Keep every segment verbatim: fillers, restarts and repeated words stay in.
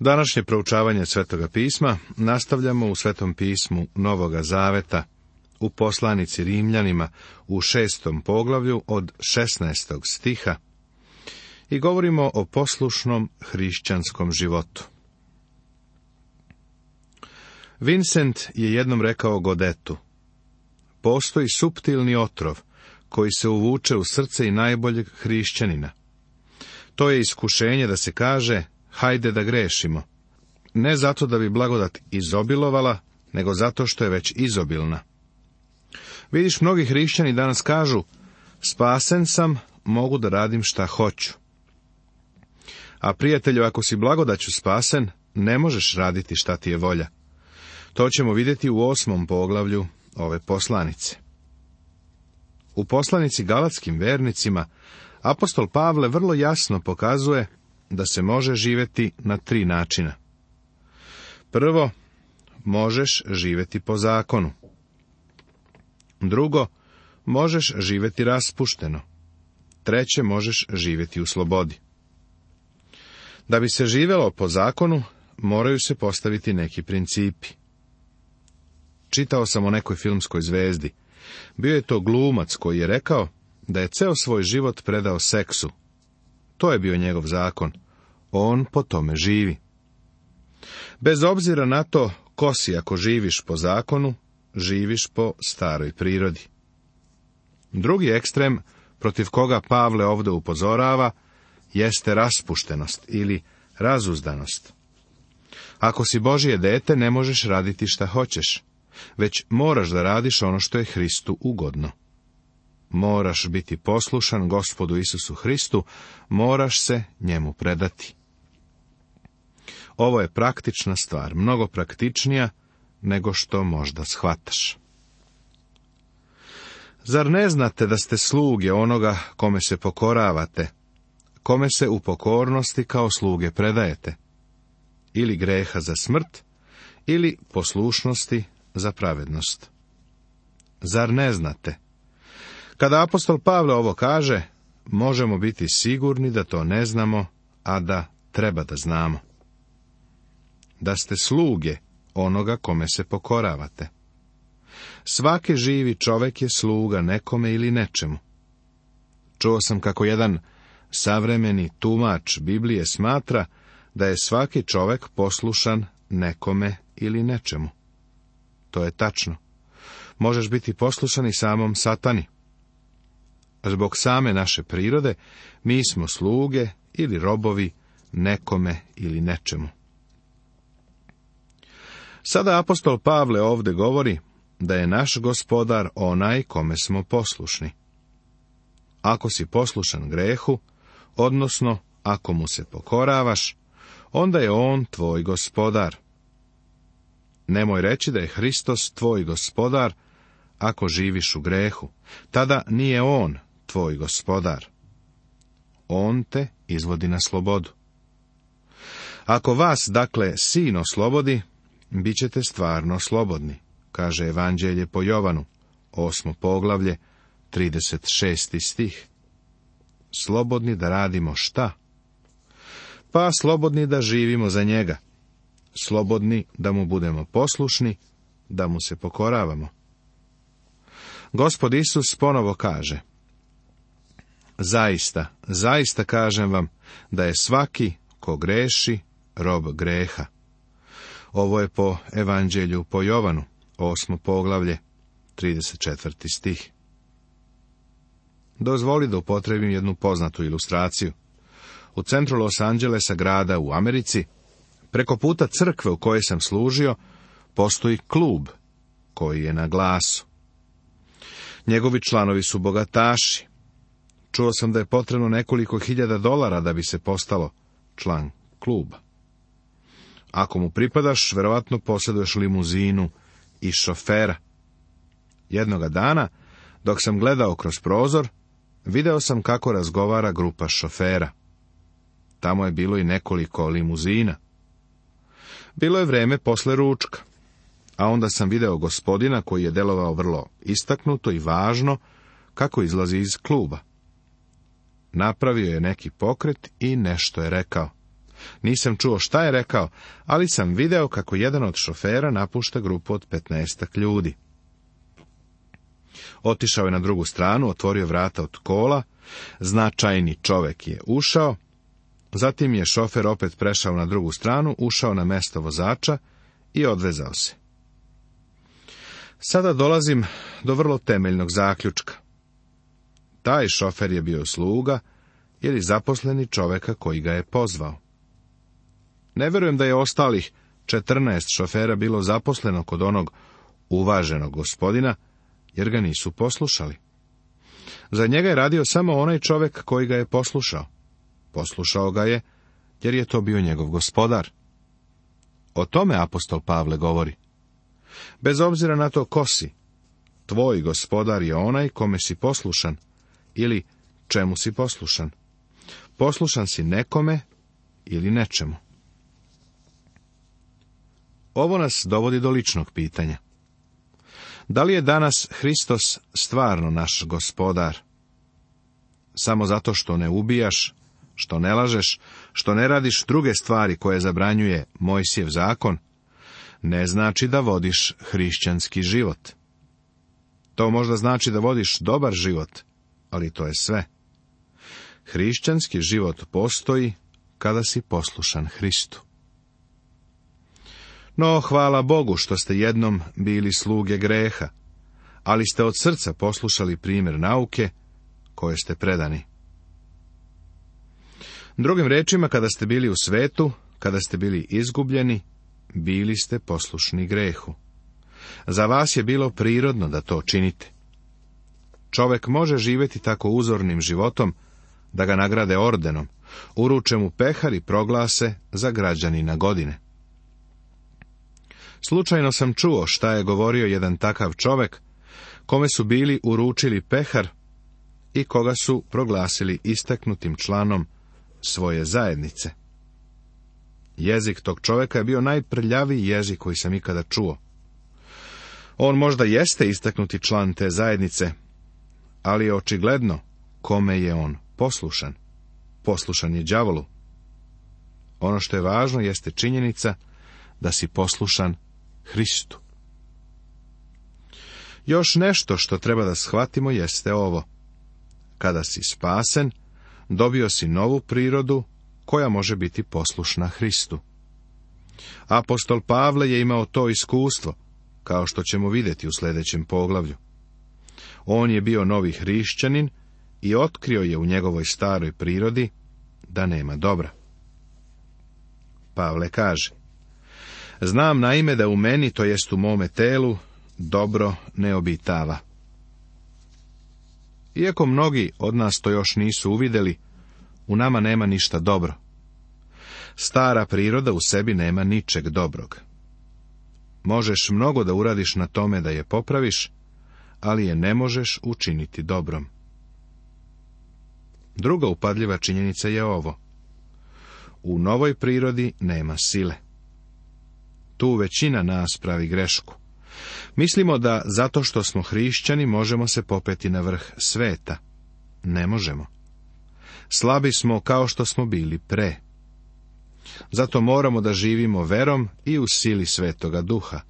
Današnje proučavanje Svetoga pisma nastavljamo u Svetom pismu Novoga Zaveta, u poslanici Rimljanima u šestom poglavlju od šesnaestog stiha i govorimo o poslušnom hrišćanskom životu. Vincent je jednom rekao Godetu: postoji suptilni otrov koji se uvuče u srce i najboljeg hrišćanina. To je iskušenje da se kaže: hajde da grešimo. Ne zato da bi blagodat izobilovala, nego zato što je već izobilna. Vidiš, mnogi hrišćani danas kažu: spasen sam, mogu da radim šta hoću. A prijatelju, ako si blagodaću spasen, ne možeš raditi šta ti je volja. To ćemo vidjeti u osmom poglavlju ove poslanice. U poslanici Galatskim vernicima apostol Pavle vrlo jasno pokazuje da se može živjeti na tri načina. Prvo, možeš živjeti po zakonu. Drugo, možeš živjeti raspušteno. Treće, možeš živjeti u slobodi. Da bi se živjelo po zakonu, moraju se postaviti neki principi. Čitao sam o nekoj filmskoj zvezdi. Bio je to glumac koji je rekao da je ceo svoj život predao seksu. To je bio njegov zakon. On po tome živi. Bez obzira na to ko si, ako živiš po zakonu, živiš po staroj prirodi. Drugi ekstrem, protiv koga Pavle ovdje upozorava, jeste raspuštenost ili razuzdanost. Ako si Božje dete, ne možeš raditi šta hoćeš, već moraš da radiš ono što je Hristu ugodno. Moraš biti poslušan Gospodu Isusu Hristu, moraš se njemu predati. Ovo je praktična stvar, mnogo praktičnija nego što možda shvataš. Zar ne znate da ste sluge onoga kome se pokoravate, kome se u pokornosti kao sluge predajete? Ili greha za smrt, ili poslušnosti za pravednost. Zar ne znate? Kada apostol Pavle ovo kaže, možemo biti sigurni da to ne znamo, a da treba da znamo. Da ste sluge onoga kome se pokoravate. Svaki živi čovjek je sluga nekome ili nečemu. Čuo sam kako jedan savremeni tumač Biblije smatra da je svaki čovjek poslušan nekome ili nečemu. To je tačno. Možeš biti poslušan i samom Satani. Zbog same naše prirode, mi smo sluge ili robovi nekome ili nečemu. Sada apostol Pavle ovdje govori da je naš Gospodar onaj kome smo poslušni. Ako si poslušan grehu, odnosno ako mu se pokoravaš, onda je on tvoj Gospodar. Nemoj reći da je Hristos tvoj Gospodar ako živiš u grehu. Tada nije on tvoj Gospodar. On te izvodi na slobodu. Ako vas, dakle, Sin oslobodi, bit ćete stvarno slobodni, kaže Evanđelje po Jovanu, osmo poglavlje, trideset šesti stih. Slobodni da radimo šta? Pa slobodni da živimo za njega. Slobodni da mu budemo poslušni, da mu se pokoravamo. Gospod Isus ponovo kaže: zaista, zaista kažem vam da je svaki ko greši rob greha. Ovo je po Evanđelju po Jovanu, osmo poglavlje, trideset četvrti stih. Dozvoli da upotrebim jednu poznatu ilustraciju. U centru Los Angelesa, grada u Americi, preko puta crkve u kojoj sam služio, postoji klub koji je na glasu. Njegovi članovi su bogataši. Čuo sam da je potrebno nekoliko hiljada dolara da bi se postalo član kluba. Ako mu pripadaš, verovatno posjeduješ limuzinu i šofera. Jednoga dana, dok sam gledao kroz prozor, video sam kako razgovara grupa šofera. Tamo je bilo i nekoliko limuzina. Bilo je vreme posle ručka, a onda sam video gospodina koji je delovao vrlo istaknuto i važno kako izlazi iz kluba. Napravio je neki pokret i nešto je rekao. Nisam čuo šta je rekao, ali sam video kako jedan od šofera napušta grupu od petnaestak ljudi. Otišao je na drugu stranu, otvorio vrata od kola, značajni čovek je ušao, zatim je šofer opet prešao na drugu stranu, ušao na mesto vozača i odvezao se. Sada dolazim do vrlo temeljnog zaključka. Taj šofer je bio sluga ili zaposleni čoveka koji ga je pozvao. Ne vjerujem da je ostalih četrnaest šofera bilo zaposleno kod onog uvaženog gospodina, jer ga nisu poslušali. Za njega je radio samo onaj čovek koji ga je poslušao. Poslušao ga je, jer je to bio njegov gospodar. O tome apostol Pavle govori. Bez obzira na to ko si, tvoj gospodar je onaj kome si poslušan, ili čemu si poslušan. Poslušan si nekome ili nečemu. Ovo nas dovodi do ličnog pitanja. Da li je danas Hristos stvarno naš gospodar? Samo zato što ne ubijaš, što ne lažeš, što ne radiš druge stvari koje zabranjuje Mojsijev zakon, ne znači da vodiš hrišćanski život. To možda znači da vodiš dobar život, ali to je sve. Hrišćanski život postoji kada si poslušan Hristu. No, hvala Bogu što ste jednom bili sluge greha, ali ste od srca poslušali primjer nauke koje ste predani. Drugim rečima, kada ste bili u svetu, kada ste bili izgubljeni, bili ste poslušni grehu. Za vas je bilo prirodno da to činite. Čovek može živjeti tako uzornim životom da ga nagrade ordenom, uruče mu pehar i proglase za građanina godine. Slučajno sam čuo šta je govorio jedan takav čovek, kome su bili uručili pehar i koga su proglasili istaknutim članom svoje zajednice. Jezik tog čoveka je bio najprljaviji jezik koji sam ikada čuo. On možda jeste istaknuti član te zajednice, ali je očigledno kome je on poslušan. Poslušan je đavolu. Ono što je važno jeste činjenica da si poslušan Hristu. Još nešto što treba da shvatimo jeste ovo. Kada si spasen, dobio si novu prirodu koja može biti poslušna Hristu. Apostol Pavle je imao to iskustvo, kao što ćemo vidjeti u sljedećem poglavlju. On je bio novi hrišćanin i otkrio je u njegovoj staroj prirodi da nema dobra. Pavle kaže: znam naime da u meni, to jest u mome telu, dobro ne obitava. Iako mnogi od nas to još nisu uvidjeli, u nama nema ništa dobro. Stara priroda u sebi nema ničeg dobrog. Možeš mnogo da uradiš na tome da je popraviš, ali je ne možeš učiniti dobrom. Druga upadljiva činjenica je ovo. U novoj prirodi nema sile. Tu većina nas pravi grešku. Mislimo da zato što smo hrišćani možemo se popeti na vrh sveta. Ne možemo. Slabi smo kao što smo bili pre. Zato moramo da živimo verom i u sili Svetoga Duha.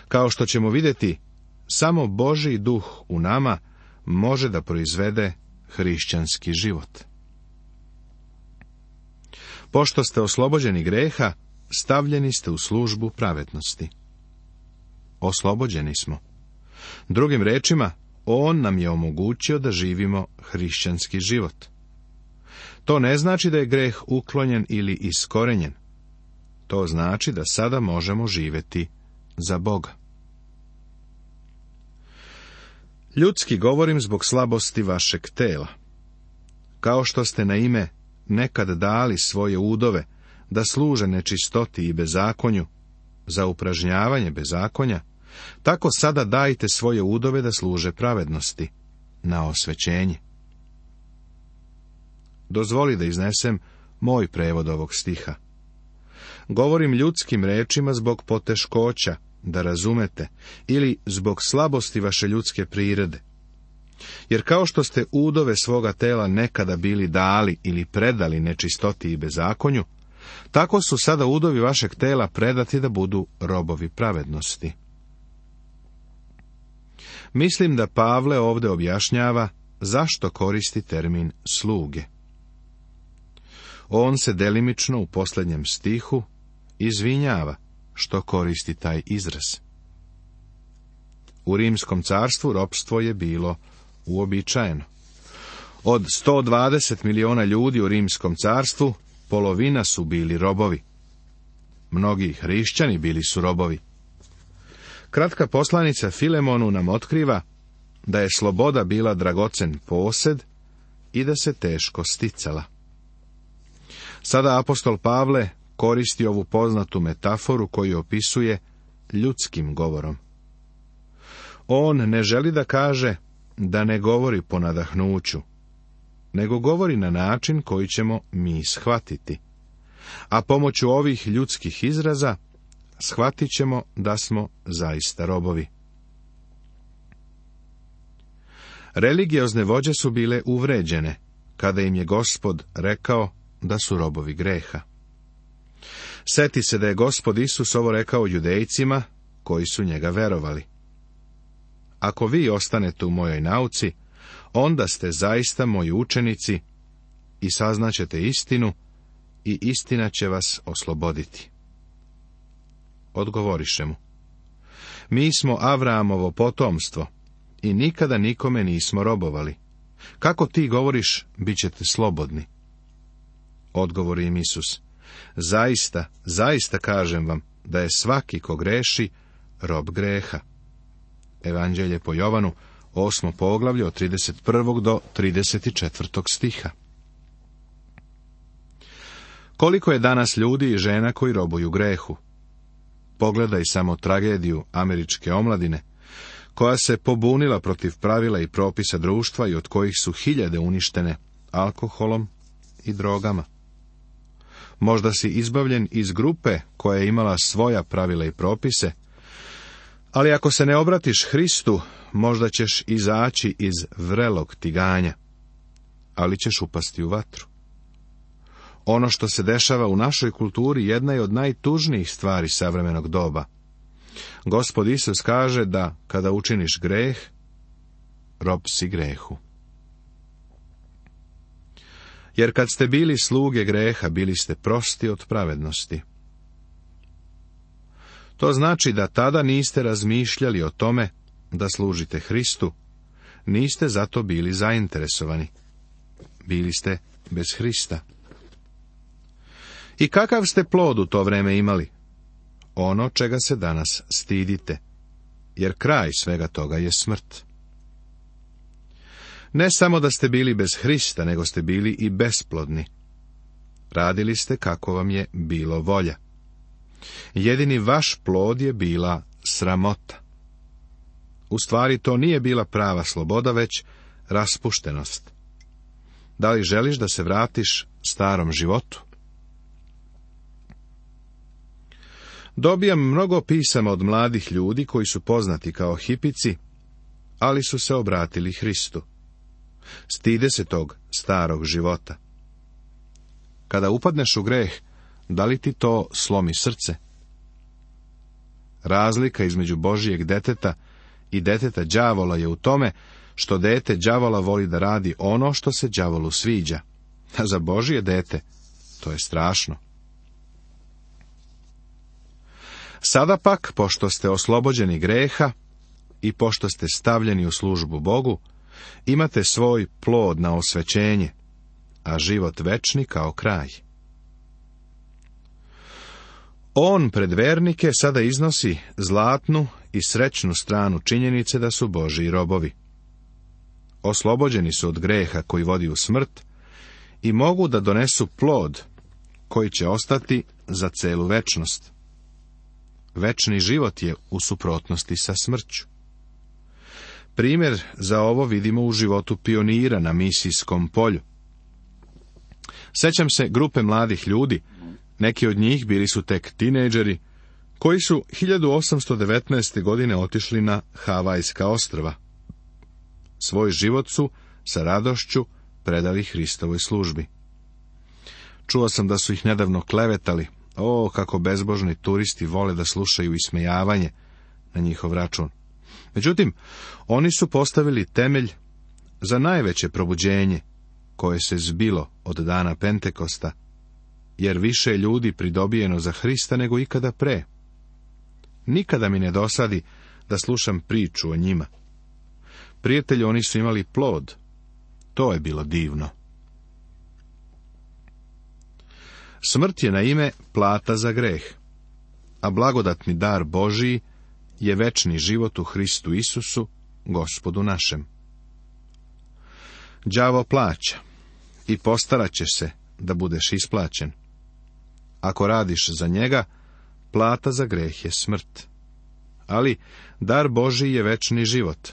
Kao što ćemo vidjeti, samo Božji duh u nama može da proizvede hrišćanski život. Pošto ste oslobođeni greha, stavljeni ste u službu pravednosti. Oslobođeni smo. Drugim rečima, on nam je omogućio da živimo hrišćanski život. To ne znači da je greh uklonjen ili iskorenjen. To znači da sada možemo živjeti za Boga. Ljudski govorim zbog slabosti vašeg tela. Kao što ste na ime nekad dali svoje udove da služe nečistoti i bezakonju, za upražnjavanje bezakonja, tako sada dajte svoje udove da služe pravednosti, na osvećenje. Dozvoli da iznesem moj prevod ovog stiha. Govorim ljudskim rečima zbog poteškoća, da razumete, ili zbog slabosti vaše ljudske prirode. Jer kao što ste udove svoga tela nekada bili dali ili predali nečistoti i bezakonju, tako su sada udovi vašeg tela predati da budu robovi pravednosti. Mislim da Pavle ovdje objašnjava zašto koristi termin sluge. On se delimično u posljednjem stihu izvinjava što koristi taj izraz. U Rimskom carstvu ropstvo je bilo uobičajeno. Od sto dvadeset miliona ljudi u Rimskom carstvu polovina su bili robovi. Mnogi hrišćani bili su robovi. Kratka poslanica Filemonu nam otkriva da je sloboda bila dragocen posed i da se teško sticala. Sada apostol Pavle koristi ovu poznatu metaforu koju opisuje ljudskim govorom. On ne želi da kaže da ne govori po nadahnuću, nego govori na način koji ćemo mi shvatiti. A pomoću ovih ljudskih izraza shvatit ćemo da smo zaista robovi. Religiozne vođe su bile uvređene, kada im je Gospod rekao da su robovi greha. Seti se da je Gospod Isus ovo rekao Judejcima, koji su njega verovali. Ako vi ostanete u mojoj nauci, onda ste zaista moji učenici i saznaćete istinu i istina će vas osloboditi. Odgovoriše mu: mi smo Avramovo potomstvo i nikada nikome nismo robovali. Kako ti govoriš, bit ćete slobodni? Odgovori im Isus: zaista, zaista kažem vam da je svaki ko greši rob greha. Evanđelje po Jovanu, osmo poglavlje od trideset prvog do trideset četvrtog stiha. Koliko je danas ljudi i žena koji robuju grehu? Pogledaj samo tragediju američke omladine, koja se pobunila protiv pravila i propisa društva i od kojih su hiljade uništene alkoholom i drogama. Možda si izbavljen iz grupe koja je imala svoja pravila i propise, ali ako se ne obratiš Hristu, možda ćeš izaći iz vrelog tiganja, ali ćeš upasti u vatru. Ono što se dešava u našoj kulturi jedna je od najtužnijih stvari savremenog doba. Gospod Isus kaže da kada učiniš greh, rob si grehu. Jer kad ste bili sluge greha, bili ste prosti od pravednosti. To znači da tada niste razmišljali o tome da služite Hristu, niste zato bili zainteresovani. Bili ste bez Hrista. I kakav ste plod u to vreme imali? Ono čega se danas stidite, jer kraj svega toga je smrt. Ne samo da ste bili bez Hrista, nego ste bili i besplodni. Radili ste kako vam je bilo volja. Jedini vaš plod je bila sramota. U stvari to nije bila prava sloboda, već raspuštenost. Da li želiš da se vratiš starom životu? Dobijam mnogo pisama od mladih ljudi koji su poznati kao hipici, ali su se obratili Hristu. Stide se tog starog života. Kada upadneš u greh, da li ti to slomi srce? Razlika između Božijeg deteta i deteta đavola je u tome što dete đavola voli da radi ono što se đavolu sviđa, a za Božije dete to je strašno. Sada pak, pošto ste oslobođeni greha i pošto ste stavljeni u službu Bogu, imate svoj plod na osvećenje, a život večni kao kraj. On pred vernike sada iznosi zlatnu i srećnu stranu činjenice da su Božji robovi. Oslobođeni su od greha koji vodi u smrt i mogu da donesu plod koji će ostati za celu večnost. Večni život je u suprotnosti sa smrću. Primjer za ovo vidimo u životu pionira na misijskom polju. Sećam se grupe mladih ljudi, neki od njih bili su tek tinejdžeri, koji su hiljadu osamsto devetnaeste. godine otišli na Havajska ostrva. Svoj život su sa radošću predali Hristovoj službi. Čuo sam da su ih nedavno klevetali. O, kako bezbožni turisti vole da slušaju ismejavanje na njihov račun. Međutim, oni su postavili temelj za najveće probuđenje koje se zbilo od dana Pentekosta, jer više je ljudi pridobijeno za Hrista nego ikada pre. Nikada mi ne dosadi da slušam priču o njima. Prijatelji, oni su imali plod. To je bilo divno. Smrt je na ime plata za greh, a blagodatni dar Božiji je večni život u Hristu Isusu, Gospodu našem. Đavo plaća i postarat ćeš se da budeš isplaćen. Ako radiš za njega, plata za greh je smrt. Ali dar Božiji je večni život.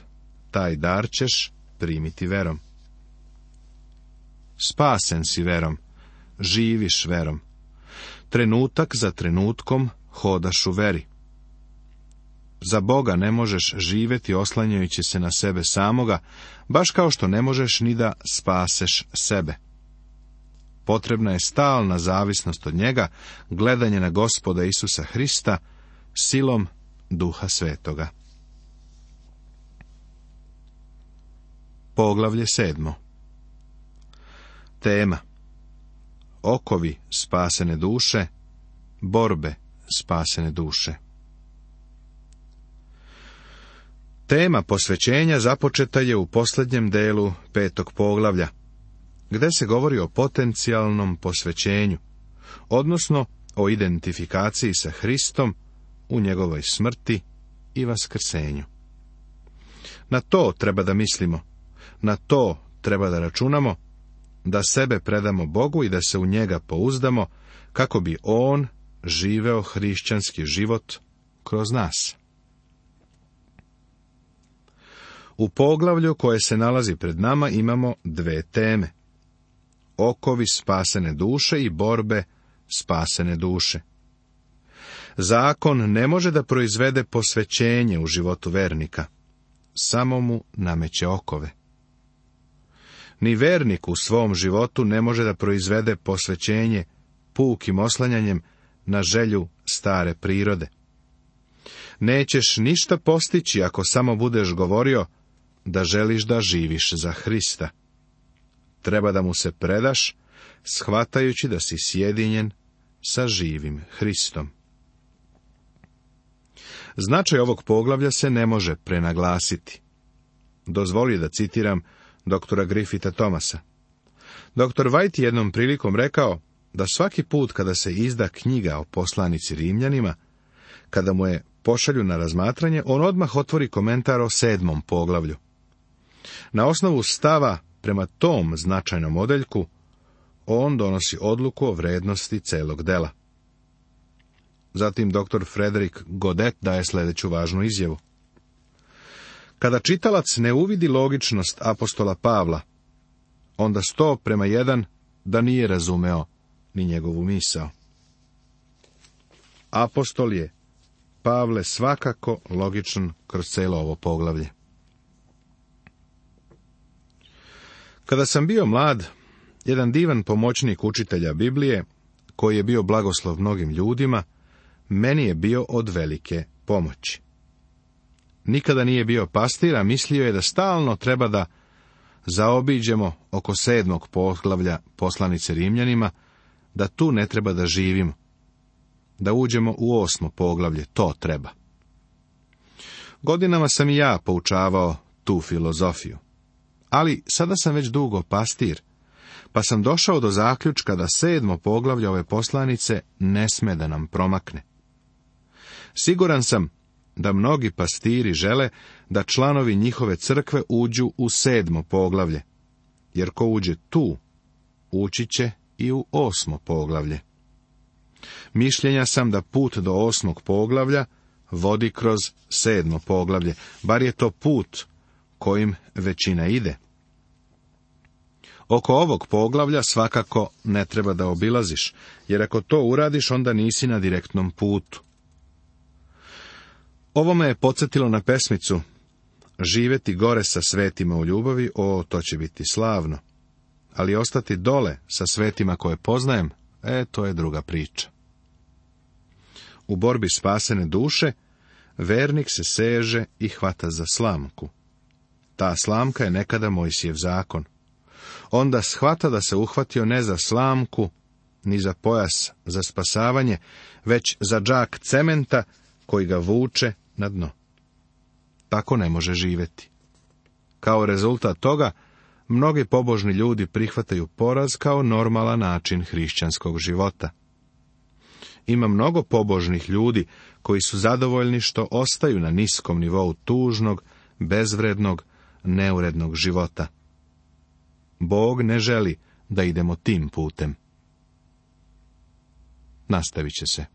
Taj dar ćeš primiti verom. Spasen si verom, živiš verom. Trenutak za trenutkom hodaš u veri. Za Boga ne možeš živjeti oslanjajući se na sebe samoga, baš kao što ne možeš ni da spaseš sebe. Potrebna je stalna zavisnost od njega, gledanje na Gospoda Isusa Hrista, silom Duha Svetoga. Poglavlje sedmo. Tema: okovi spasene duše, borbe spasene duše. Tema posvećenja započeta je u posljednjem delu petog poglavlja, gdje se govori o potencijalnom posvećenju, odnosno o identifikaciji sa Hristom u njegovoj smrti i vaskrsenju. Na to treba da mislimo, na to treba da računamo, da sebe predamo Bogu i da se u njega pouzdamo, kako bi on živeo hrišćanski život kroz nas. U poglavlju koje se nalazi pred nama imamo dve teme: okovi spasene duše i borbe spasene duše. Zakon ne može da proizvede posvećenje u životu vernika, samo mu nameće okove. Ni vernik u svom životu ne može da proizvede posvećenje pukim oslanjanjem na želju stare prirode. Nećeš ništa postići ako samo budeš govorio da želiš da živiš za Hrista. Treba da mu se predaš, shvatajući da si sjedinjen sa živim Hristom. Značaj ovog poglavlja se ne može prenaglasiti. Dozvoli da citiram doktora Griffitha Thomasa. Doktor White jednom prilikom rekao da svaki put kada se izda knjiga o poslanici Rimljanima, kada mu je pošalju na razmatranje, on odmah otvori komentar o sedmom poglavlju. Na osnovu stava prema tom značajnom odeljku, on donosi odluku o vrednosti celog dela. Zatim doktor Frederick Godet daje sljedeću važnu izjavu. Kada čitalac ne uvidi logičnost apostola Pavla, onda sto prema jedan da nije razumeo ni njegovu misao. Apostol je, Pavle, svakako logičan kroz celo ovo poglavlje. Kada sam bio mlad, jedan divan pomoćnik učitelja Biblije, koji je bio blagoslov mnogim ljudima, meni je bio od velike pomoći. Nikada nije bio pastir, a mislio je da stalno treba da zaobiđemo oko sedmog poglavlja poslanice Rimljanima, da tu ne treba da živimo, da uđemo u osmo poglavlje, to treba. Godinama sam i ja poučavao tu filozofiju, ali sada sam već dugo pastir, pa sam došao do zaključka da sedmo poglavlje ove poslanice ne sme da nam promakne. Siguran sam da mnogi pastiri žele da članovi njihove crkve uđu u sedmo poglavlje, jer ko uđe tu, ući će i u osmo poglavlje. Mišljenja sam da put do osmog poglavlja vodi kroz sedmo poglavlje, bar je to put kojim većina ide. Oko ovog poglavlja svakako ne treba da obilaziš, jer ako to uradiš, onda nisi na direktnom putu. Ovo me je podsjetilo na pesmicu Živeti gore sa svetima u ljubavi, o, to će biti slavno. Ali ostati dole sa svetima koje poznajem, e, to je druga priča. U borbi spasene duše, vernik se seže i hvata za slamku. Ta slamka je nekada Mojsijev zakon. Onda shvata da se uhvatio ne za slamku, ni za pojas za spasavanje, već za džak cementa koji ga vuče na dno. Tako ne može živjeti. Kao rezultat toga, mnogi pobožni ljudi prihvataju poraz kao normalan način hrišćanskog života. Ima mnogo pobožnih ljudi koji su zadovoljni što ostaju na niskom nivou tužnog, bezvrednog, neurednog života. Bog ne želi da idemo tim putem. Nastavit će se.